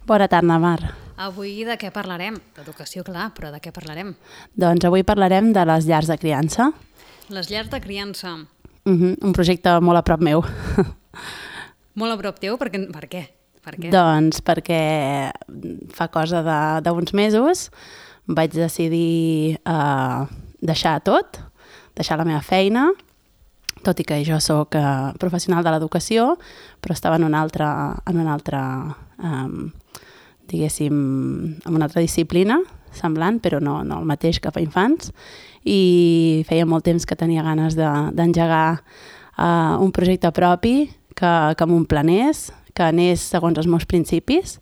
Bona tarda, Mar. Avui de què parlarem? D'educació, clar, però de què parlarem? Doncs avui parlarem de les llars de criança. Les llars de criança. Un projecte molt a prop meu. Molt a prop teu? Per què? Per què? Doncs perquè fa cosa d'uns mesos vaig decidir deixar tot, deixar la meva feina, tot i que jo sóc professional de l'educació, però estava en una altra diguéssim, en una altra disciplina semblant, però no el mateix que fa infants, i feia molt temps que tenia ganes d'engegar un projecte propi que m'emplenés, que anés segons els meus principis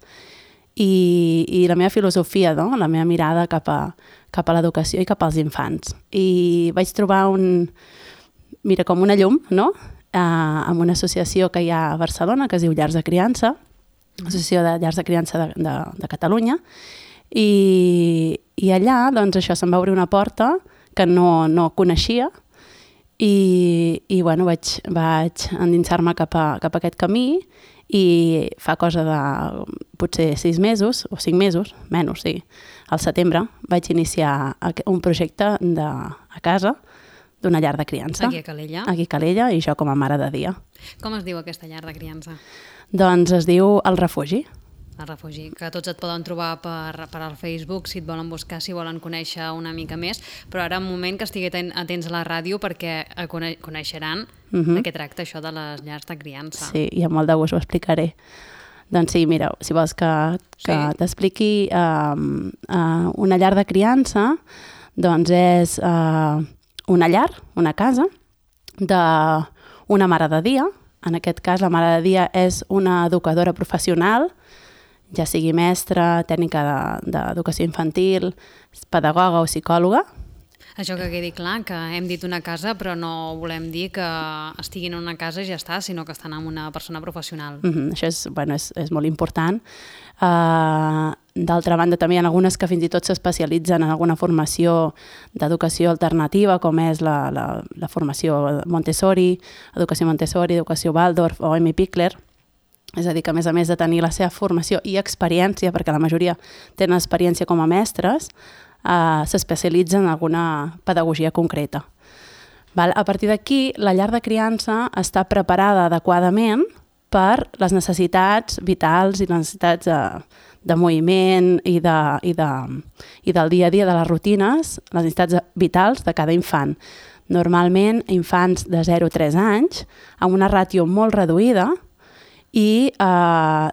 i la meva filosofia, no? La meva mirada cap a l'educació i cap als infants. I vaig trobar com una llum, no? Amb una associació que hi ha a Barcelona que es diu Llars de Criança, Associació de Llars de Criança de Catalunya, i allà doncs, això se'm va obrir una porta que no coneixia i bueno, vaig endinsar-me cap a aquest camí i fa cosa de potser 6 mesos o 5 mesos, menys, sí, al setembre vaig iniciar un projecte a casa d'una llar de criança. Aquí a Calella? Aquí a Calella, i jo com a mare de dia. Com es diu aquesta llar de criança? Doncs es diu El Refugi. El Refugi, que tots et poden trobar per al Facebook si et volen buscar, si volen conèixer una mica més, però ara un moment que estigui atents a la ràdio perquè coneixeran de què tracta això de les llars de criança. Sí, i amb molt de gust ho explicaré. Doncs sí, mira, si vols que t'expliqui una llar de criança, doncs és una llar, una casa d'una mare de dia. En aquest cas, la mare de dia és una educadora professional, ja sigui mestra, tècnica d'educació infantil, pedagoga o psicòloga. Això que quedi clar, que hem dit una casa, però no volem dir que estiguin en una casa i ja està, sinó que estan amb una persona professional. Això és molt important. D'altra banda, també hi ha algunes que fins i tot s'especialitzen en alguna formació d'educació alternativa, com és la formació Montessori, educació Waldorf o Amy Pickler. És a dir, que a més de tenir la seva formació i experiència, perquè la majoria tenen experiència com a mestres, s'especialitzen en alguna pedagogia concreta. A partir d'aquí, la llar de criança està preparada adequadament per les necessitats vitals i les necessitats de moviment i del dia a dia, de les rutines, les necessitats vitals de cada infant. Normalment, infants de 0 a 3 anys, amb una ràtio molt reduïda i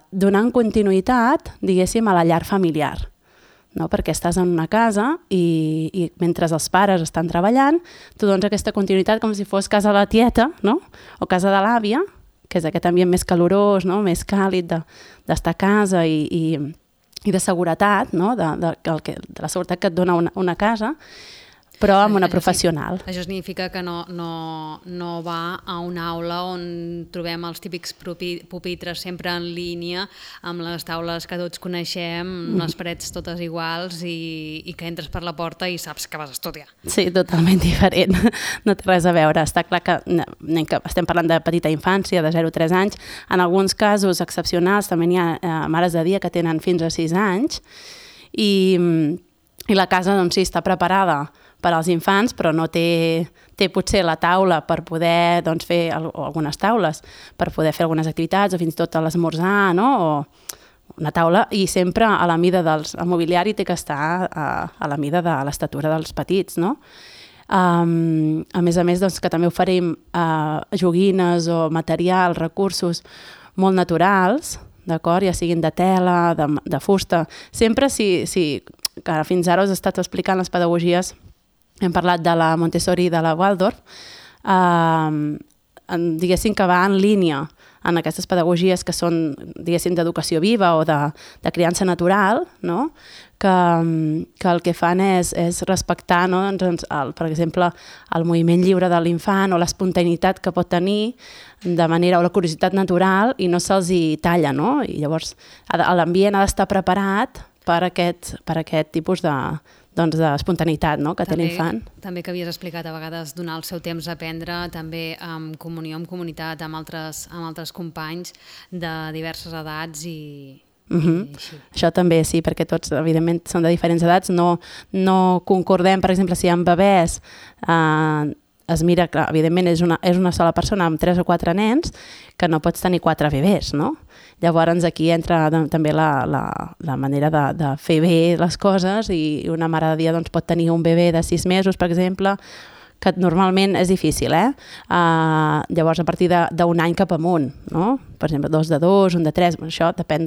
donant continuïtat, diguéssim, a la llar familiar. No? Perquè estàs en una casa i mentre els pares estan treballant, tu dones aquesta continuïtat com si fos casa de la tieta, no? O casa de l'àvia, que és aquest ambient més calorós, no? Més càlid d'estar a casa i de seguretat, no? de la seguretat que et dona una casa, però amb una professional. Això significa que no va a una aula on trobem els típics pupitres sempre en línia, amb les taules que tots coneixem, les parets totes iguals i que entres per la porta i saps que vas a estudiar. Sí, totalment diferent. No té res a veure. Està clar que estem parlant de petita infància, de 0 a 3 anys. En alguns casos excepcionals també hi ha mares de dia que tenen fins a 6 anys i la casa doncs sí, està preparada per als infants, però no té potser la taula per poder fer algunes taules, per poder fer algunes activitats o fins i tot a l'esmorzar, no? O una taula, i sempre a la mida el mobiliari té que estar a la mida de l'estatura dels petits, no? A més, doncs, que també oferim joguines o materials, recursos molt naturals, d'acord? Ja siguin de tela, de fusta. Sempre que fins ara us he estat explicant les pedagogies, hem parlat de la Montessori i de la Waldorf, diguéssim que va en línia en aquestes pedagogies que són, diguéssim, d'educació viva o de criança natural, no? Que el que fan és respectar, no? Per exemple, el moviment lliure de l'infant o l'espontaneïtat que pot tenir de manera, o la curiositat natural, i no se'ls hi talla, no? I llavors l'ambient ha d'estar preparat per aquest tipus d'espontaneïtat, no? Que té l'infant. També que havies explicat a vegades donar el seu temps a aprendre, també en comunió, en comunitat, amb altres companys de diverses edats i Això també, sí, perquè tots, evidentment, són de diferents edats. No concordem, per exemple, si amb bebès es mira, clar, evidentment és una sola persona amb 3 o 4 nens, que no pots tenir 4 bebès, no? Llavors aquí entra també la manera de fer bé les coses, i una mare de dia pot tenir un bebè de 6 mesos, per exemple, que normalment és difícil, llavors a partir d'un any cap amunt, no? Per exemple, 2 de 2, 1 de 3, això depèn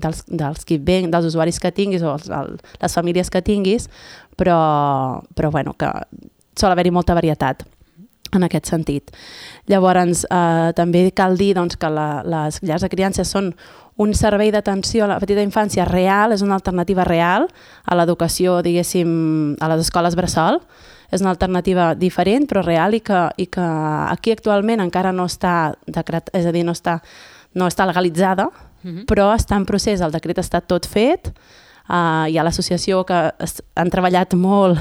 dels usuaris que tinguis o les famílies que tinguis, però bueno, que sol haver-hi molta varietat en aquest sentit. Llavors, també cal dir que les llars de criança són un servei d'atenció a la petita infància real, és una alternativa real a l'educació, diguéssim, a les escoles bressol. És una alternativa diferent, però real, i que aquí actualment encara no està és a dir, no està legalitzada, però està en procés, el decret està tot fet, hi ha l'associació que han treballat molt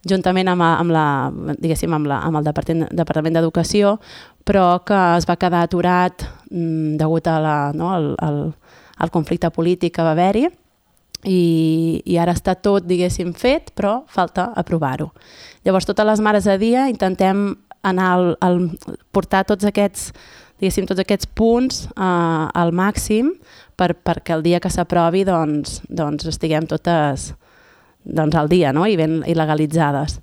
juntament amb el Departament d'Educació, però que es va quedar aturat degut al conflicte polític que va haver-hi, i ara està tot, diguéssim, fet, però falta aprovar-ho. Llavors, totes les mares de dia intentem portar tots aquests punts al màxim perquè el dia que s'aprovi estiguem totes al dia, no? I ben legalitzades.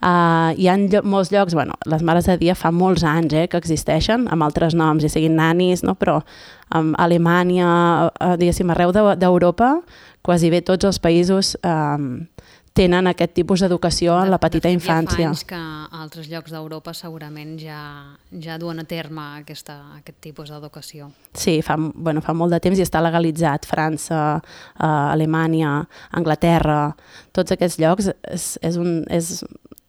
Hi ha molts llocs, les mares de dia fa molts anys que existeixen, amb altres noms, ja siguin nanis, no? Però a Alemanya, diguéssim, arreu d'Europa, quasi bé tots els països tenen aquest tipus d'educació en la petita infància. Ja fa anys que altres llocs d'Europa segurament ja duen a terme aquest tipus d'educació. Sí, fa molt de temps i està legalitzat. França, Alemanya, Anglaterra, tots aquests llocs és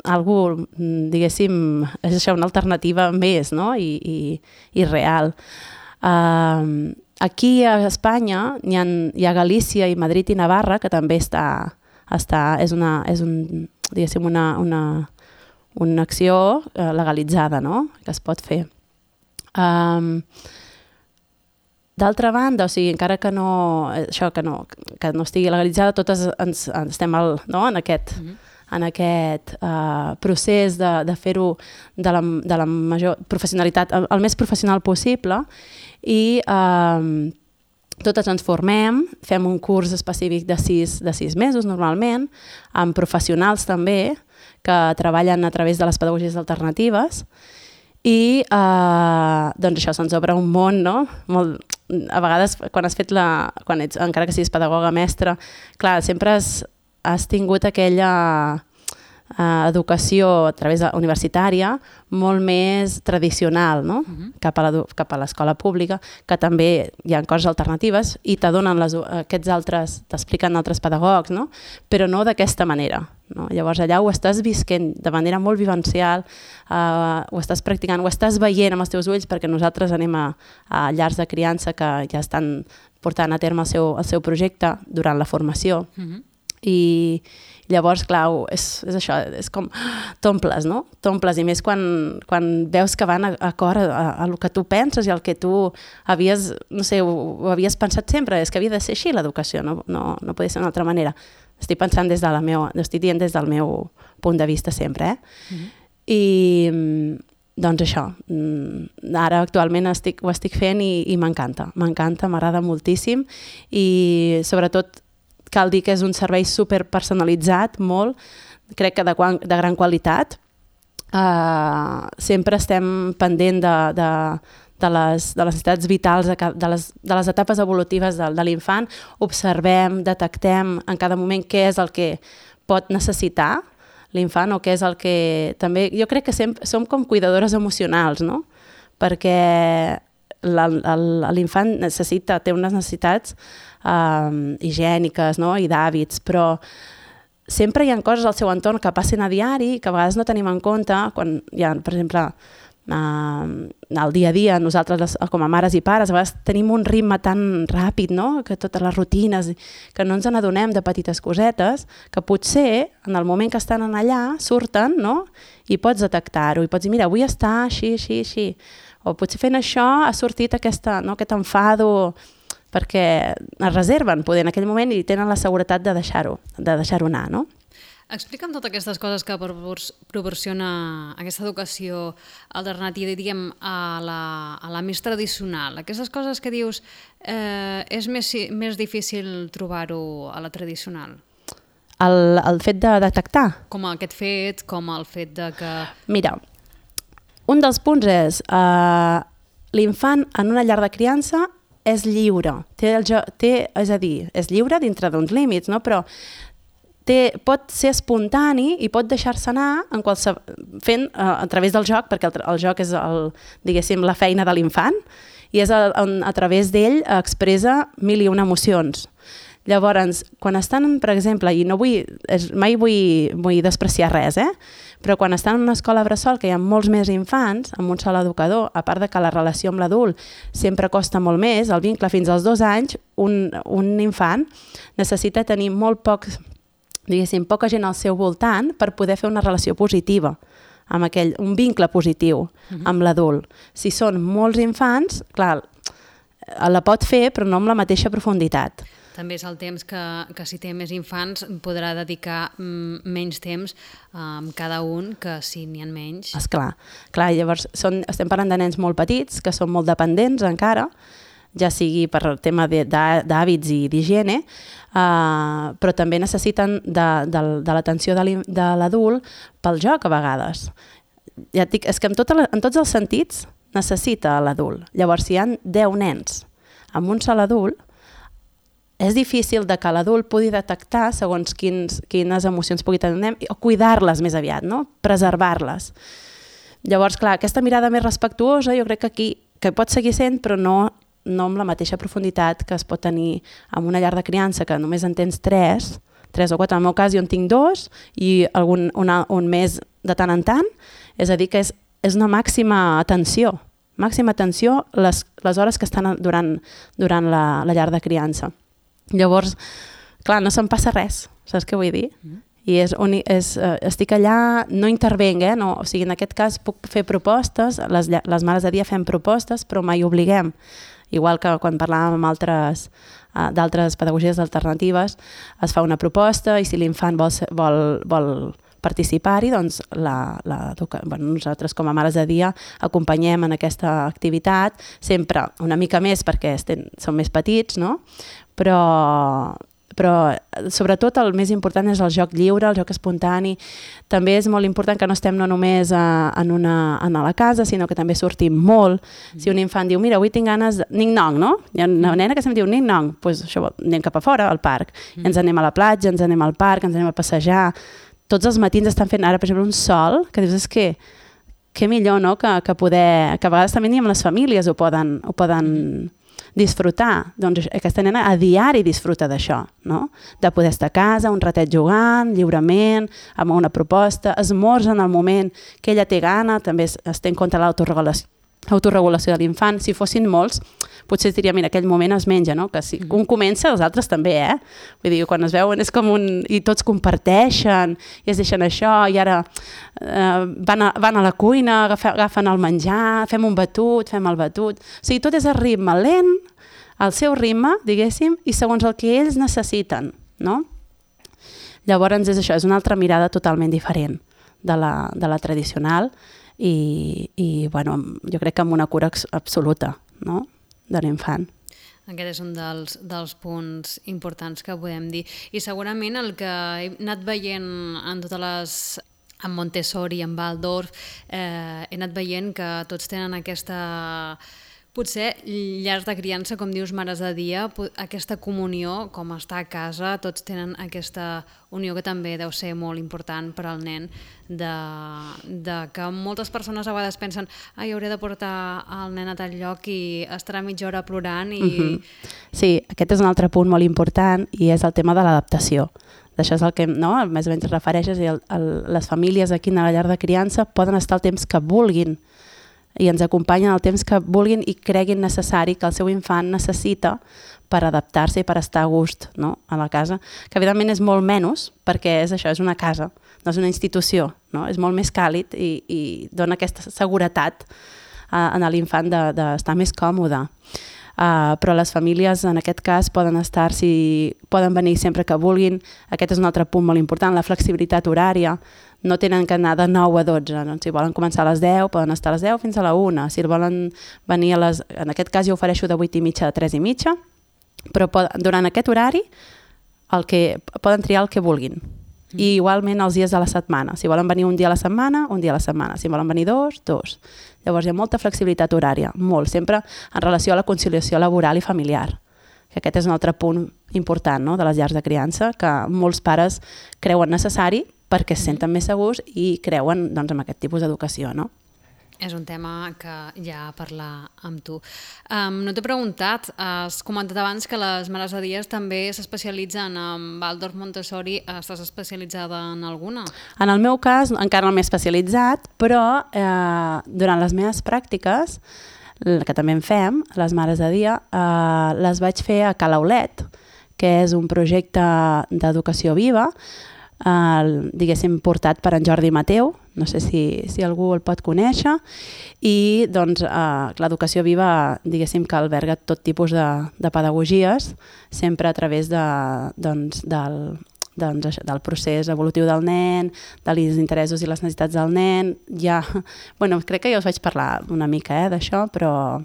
algú, diguéssim, és això, una alternativa més, no? I real. Aquí a Espanya hi ha Galícia i Madrid i Navarra, que també és una acció legalitzada, no? Que es pot fer. D'altra banda, o sigui, encara que no estigui legalitzada, totes estem en aquest procés de fer-ho de la major professionalitat, el més professional possible, i totes ens formem, fem un curs específic de 6 mesos normalment, amb professionals també, que treballen a través de les pedagogies alternatives, i això se'ns obre un món, no? A vegades, encara que siguis pedagoga mestra, clar, sempre has tingut aquella educació a través universitària molt més tradicional, no? Cap a l'escola pública, que també hi ha coses alternatives i t'expliquen altres pedagogs, no? Però no d'aquesta manera, no? Llavors allà ho estàs visquent de manera molt vivencial, ho estàs practicant, ho estàs veient amb els teus ulls, perquè nosaltres anem a llars de criança que ja estan portant a terme el seu projecte durant la formació. I llavors, clar, és això, és com t'omples, no? T'omples, i més quan veus que van acord a el que tu penses i el que tu havies, no sé, ho havies pensat sempre, és que havia de ser així l'educació, no podia ser d'una altra manera. Estic dient des del meu punt de vista sempre, I doncs això, ara actualment ho estic fent i m'encanta, m'agrada moltíssim, i sobretot cal dir que és un servei superpersonalitzat, molt, crec que de gran qualitat. Sempre estem pendent de les necessitats vitals, de les etapes evolutives de l'infant, observem, detectem en cada moment què és el que pot necessitar l'infant, o què és el que també... Jo crec que som com cuidadores emocionals, no? Perquè l'infant té unes necessitats higièniques, no? I d'hàbits, però sempre hi ha coses al seu entorn que passen a diari que a vegades no tenim en compte quan hi ha, per exemple, al dia a dia, nosaltres com a mares i pares a vegades tenim un ritme tan ràpid, no? Que totes les rutines, que no ens n'adonem de petites cosetes que potser en el moment que estan allà surten, no? I pots detectar-ho i pots dir, mira, avui està així, així, així, o potser fent això ha sortit aquest enfado, perquè es reserven poder en aquell moment i tenen la seguretat de deixar-ho anar, no? Explica'm totes aquestes coses que proporciona aquesta educació alternativa, diguem, a la més tradicional. Aquestes coses que dius, és més difícil trobar-ho a la tradicional? El fet de detectar? Com aquest fet, com el fet de que... Mira, un dels punts és l'infant en una llar de criança és lliure. És a dir, és lliure dintre d'uns límits, no? Però pot ser espontani i pot deixar-se anar fent a través del joc, perquè el joc és diguéssim, la feina de l'infant i és a través d'ell expressa mil i una emocions. Llavors, quan estan, per exemple, i mai vull despreciar res, però quan estan en una escola bressol que hi ha molts més infants, amb un sol educador, a part de que la relació amb l'adult sempre costa molt més, el vincle fins als 2 anys, un infant necessita tenir poca gent al seu voltant per poder fer una relació positiva, amb un vincle positiu amb l'adult. Si són molts infants, clar, la pot fer però no amb la mateixa profunditat. També és el temps que si té més infants podrà dedicar menys temps a cada un que si n'hi ha menys. Esclar, llavors estem parlant de nens molt petits que són molt dependents encara, ja sigui per tema d'hàbits i d'higiene, però també necessiten de l'atenció de l'adult pel joc a vegades. Ja et dic, és que en tots els sentits necessita l'adult. Llavors, si hi ha 10 nens amb un sol adult, és difícil que l'adult pugui detectar segons quines emocions pugui tenir o cuidar-les més aviat, no? Preservar-les. Llavors, clar, aquesta mirada més respectuosa jo crec que aquí que pot seguir sent, però no amb la mateixa profunditat que es pot tenir en una llar de criança que només en tens 3 o 4. En el meu cas jo en tinc 2 i un mes de tant en tant. És a dir, que és una màxima atenció les hores que estan durant la llar de criança. Llavors, clar, no se'm passa res, saps què vull dir? I estic allà, no intervenc, no, o sigui, en aquest cas puc fer propostes, les mares de dia fem propostes, però mai obliguem. Igual que quan parlàvem amb d'altres pedagogies alternatives, es fa una proposta i si l'infant vol participar-hi, doncs nosaltres com a mares de dia acompanyem en aquesta activitat, sempre una mica més perquè són més petits, no? Però sobretot el més important és el joc lliure, el joc espontani. També és molt important que no estem no només a la casa, sinó que també sortim molt. Si un infant diu, mira, avui tinc ganes de ning-nong, no? Hi ha una nena que sempre diu ning-nong, doncs això, anem cap a fora, al parc. Ens anem a la platja, ens anem al parc, ens anem a passejar. Tots els matins estan fent ara, per exemple, un sol, que dius, és que millor, no?, que a vegades també ni amb les famílies ho poden disfrutar. Doncs aquesta nena a diari disfruta d'això, no? De poder estar a casa, un ratet jugant, lliurement, amb una proposta, esmorza en el moment que ella té gana, també es té en compte l'autoregulació de l'infant. Si fossin molts, potser es diria, mira, aquell moment es menja, no? Que si un comença, els altres també, Vull dir, quan es veuen és com i tots comparteixen, i es deixen això, i ara van a la cuina, agafen el menjar, fem un batut, fem el batut. O sigui, tot és a ritme lent, al seu ritme, diguéssim, i segons el que ells necessiten, no? Llavors és això, és una altra mirada totalment diferent de la tradicional i bueno, jo crec que amb una cura absoluta, no?, de l'infant. Aquest és un dels punts importants que podem dir. I segurament el que he anat veient en totes les... en Montessori, en Waldorf, he anat veient que tots tenen aquesta... Potser llars de criança, com dius, mares de dia, aquesta comunió, com estar a casa, tots tenen aquesta unió que també deu ser molt important per al nen, de que moltes persones a vegades pensen hauré de portar el nen a tal lloc i estarà mitja hora plorant i... Sí, aquest és un altre punt molt important i és el tema de l'adaptació. D'això és el que més o menys refereixes, i les famílies aquí a la llar de criança poden estar el temps que vulguin i ens acompanyen el temps que vulguin i creguin necessari que el seu infant necessita per adaptar-se i per estar a gust, no?, a la casa, que evidentment és molt menys perquè és això, és una casa, no és una institució, no? És molt més càlid i dona aquesta seguretat en l'infant d'estar més còmode. Però les famílies en aquest cas poden venir sempre que vulguin. Aquest és un altre punt molt important, la flexibilitat horària. No tenen que anar de 9 a 12, no? Si volen començar a les 10 poden estar a les 10 fins a la 1, si volen venir en aquest cas jo ofereixo de 8:30 a 3:30, però durant aquest horari poden triar el que vulguin. I igualment els dies de la setmana. Si volen venir un dia a la setmana, un dia a la setmana. Si volen venir dos. Llavors hi ha molta flexibilitat horària, molt, sempre en relació a la conciliació laboral i familiar. Que aquest és un altre punt important, no?, de les llars de criança, que molts pares creuen necessari perquè es senten més segurs i creuen, doncs, en aquest tipus d'educació, no? És un tema que ja parlar amb tu. No t'he preguntat, has comentat abans que les mares de dia també s'especialitzen en Waldorf Montessori. Estàs especialitzada en alguna? En el meu cas encara no m'he especialitzat, però durant les meves pràctiques, que també en fem, les mares de dia, les vaig fer a Calaulet, que és un projecte d'educació viva, diguéssim portat per en Jordi Mateu, no sé si algú el pot conèixer, i doncs l'educació viva, diguéssim que alberga tot tipus de pedagogies, sempre a través del procés evolutiu del nen, dels interessos i les necessitats del nen. Crec que ja us vaig parlar una mica d'això, però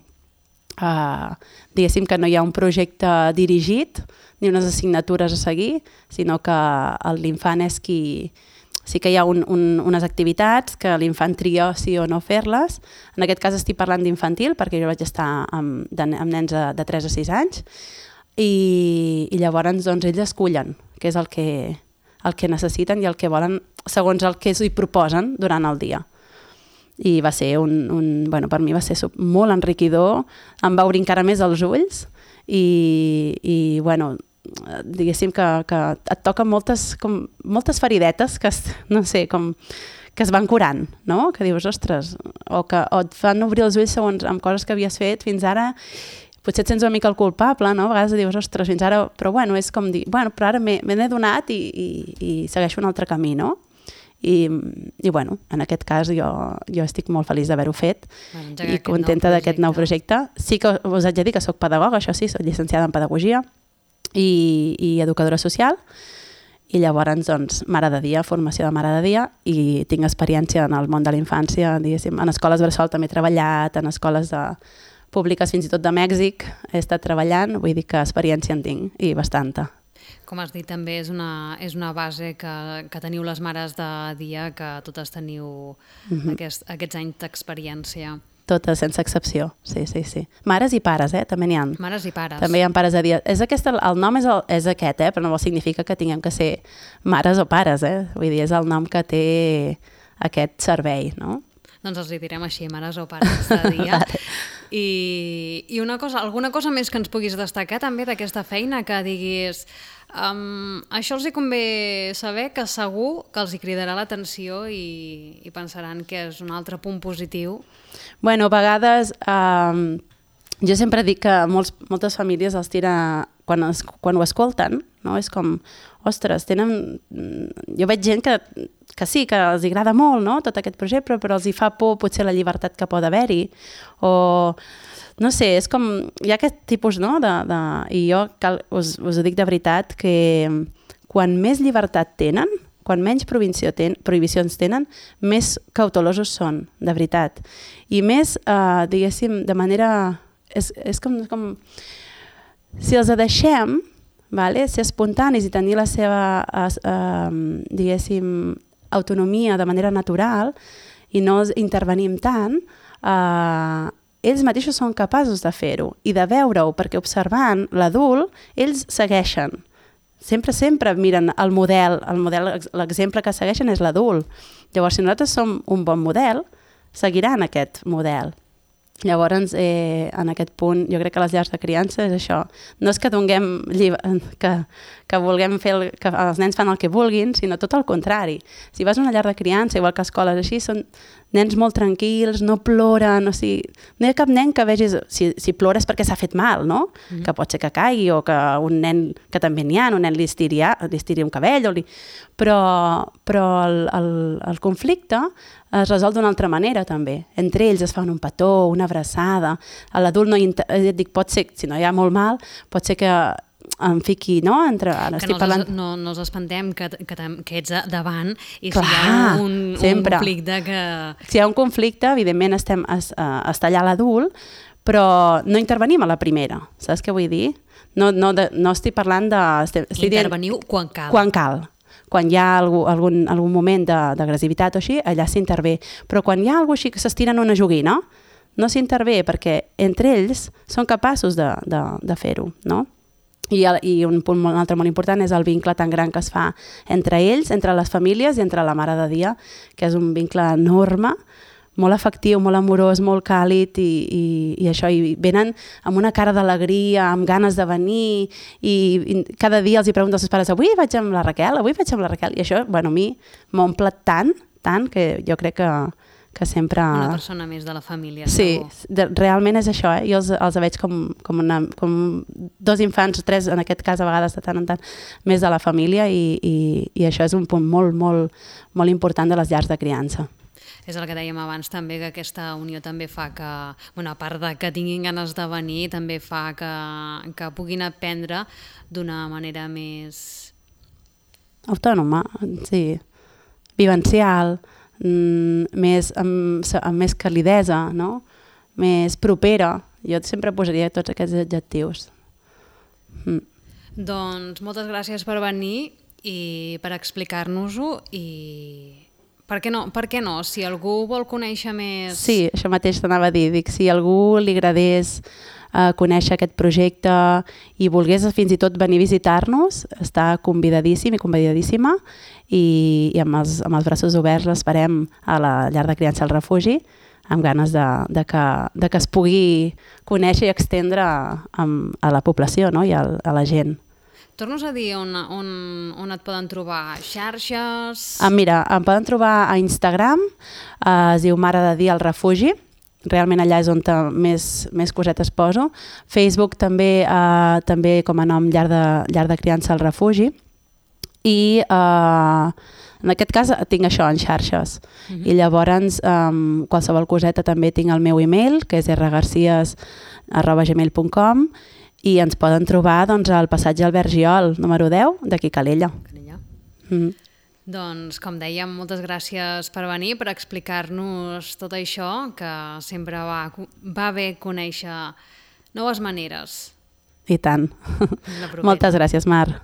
diguéssim que no hi ha un projecte dirigit ni unes assignatures a seguir, sinó que l'infant és qui... Sí que hi ha unes activitats que l'infant tria sí o no fer-les. En aquest cas estic parlant d'infantil, perquè jo vaig estar amb nens de 3 a 6 anys, i llavors doncs, ells escullen què és el que necessiten i el que volen segons el que s'hi proposen durant el dia. I va ser per mi va ser molt enriquidor, em va obrir encara més els ulls i diguéssim que et toquen moltes feridetes que es van curant, no? Que dius, ostres, o et fan obrir els ulls segons amb coses que havies fet fins ara. Potser et sents una mica el culpable, no? A vegades dius, ostres, fins ara... Però és com dir, però ara me n'he donat i segueixo un altre camí, no? I en aquest cas jo estic molt feliç d'haver-ho fet i contenta d'aquest nou projecte. Sí que us haig de dir que soc pedagoga, això sí, soc llicenciada en pedagogia i educadora social, i llavors doncs mare de dia, formació de mare de dia, i tinc experiència en el món de la infància, diguéssim, en escoles bressol també he treballat, en escoles públiques fins i tot de Mèxic he estat treballant, vull dir que experiència en tinc i bastanta. Com has dit, també és una base que teniu les mares de dia, que totes teniu aquests anys d'experiència. Totes, sense excepció, sí. Mares i pares, també n'hi ha. Mares i pares. També hi ha pares de dia. El nom és aquest, però no significa que tinguem que ser mares o pares, Vull dir, és el nom que té aquest servei, no? Doncs els direm així, mares o pares de dia. I alguna cosa més que ens puguis destacar també d'aquesta feina, que diguis això els hi convé saber, que segur que els hi cridarà l'atenció i pensaran que és un altre punt positiu. A vegades jo sempre dic que moltes famílies els tira, quan ho escolten, no? És com, ostres, jo veig gent que sí, que els agrada molt, no?, tot aquest projecte, però els hi fa por potser la llibertat que pot haver-hi, o no sé, és com, hi ha aquest tipus, no?, i jo us ho dic de veritat, que quan més llibertat tenen, quan menys prohibicions tenen, més cautelosos són, de veritat. I més, diguéssim, de manera... És com... Si els deixem, ser espontanis i tenir la seva, diguéssim, autonomia de manera natural i no intervenim tant, ells mateixos són capaços de fer-ho i de veure-ho, perquè observant l'adult, ells segueixen. Sempre miren el model, l'exemple que segueixen és l'adult. Llavors, si nosaltres som un bon model, seguiran aquest model. Llavors, en aquest punt, jo crec que les llars de criança és això. No és que vulguem fer que els nens fan el que vulguin, sinó tot el contrari. Si vas a una llar de criança, igual que escoles així, són nens molt tranquils, no ploren, o sigui, no hi ha cap nen que vegis, si plores perquè s'ha fet mal, no? Que pot ser que caigui o que un nen, que també n'hi ha, un nen li estiri un cabell, però el conflicte es resol d'una altra manera també. Entre ells es fan un petó, una abraçada, l'adult no et dic, pot ser, si no hi ha molt mal, pot ser que em fiqui, no? No els espantem que ets davant i si hi ha un conflicte que... Si hi ha un conflicte, evidentment està allà l'adult, però no intervenim a la primera, saps què vull dir? No estic parlant de... Interveniu quan cal. Quan cal. Quan hi ha algun moment d'agressivitat o així, allà s'intervé. Però quan hi ha alguna cosa així que s'estiren una joguina, no s'intervé perquè entre ells són capaços de fer-ho, no? I un altre molt important és el vincle tan gran que es fa entre ells, entre les famílies i entre la Mare de Dia, que és un vincle enorme, molt afectiu, molt amorós, molt càlid i això, i venen amb una cara d'alegria, amb ganes de venir i cada dia els hi pregunto als seus pares, avui vaig amb la Raquel, i això, bueno, a mi m'omple tant que jo crec que sempre... Una persona més de la família. Sí, realment és això, jo els veig com dos infants, tres en aquest cas a vegades de tant en tant, més de la família i això és un punt molt, molt, molt important de les llars de criança. És el que dèiem abans també, que aquesta unió també fa que, bueno, a part de que tinguin ganes de venir, també fa que puguin aprendre d'una manera més... Autònoma, sí, vivencial, amb més calidesa, no? Més propera. Jo sempre posaria tots aquests adjectius. Doncs moltes gràcies per venir i per explicar-nos-ho i per què no? Si algú vol conèixer més... Sí, això mateix t'anava a dir. Dic, si algú li agradés conèixer aquest projecte i volgués fins i tot venir a visitar-nos, està convidadíssim i convidadíssima i amb els braços oberts l'esperem a la llar de criança al refugi amb ganes de que es pugui conèixer i extendre a la població, no? I a la gent. Tornos a dir on et poden trobar, xarxes... Mira, em poden trobar a Instagram, es diu Mare de Dia al Refugi, realment allà és on més cosetes poso. Facebook també com a nom llar de criança al refugi i en aquest cas tinc això en xarxes i llavors qualsevol coseta també tinc el meu email que és rgarcias@gmail.com i ens poden trobar al passatge Albert Giol número 10 d'aquí Calella. Doncs, com dèiem, moltes gràcies per venir, per explicar-nos tot això, que sempre va bé conèixer noves maneres. I tant. Moltes gràcies, Mar.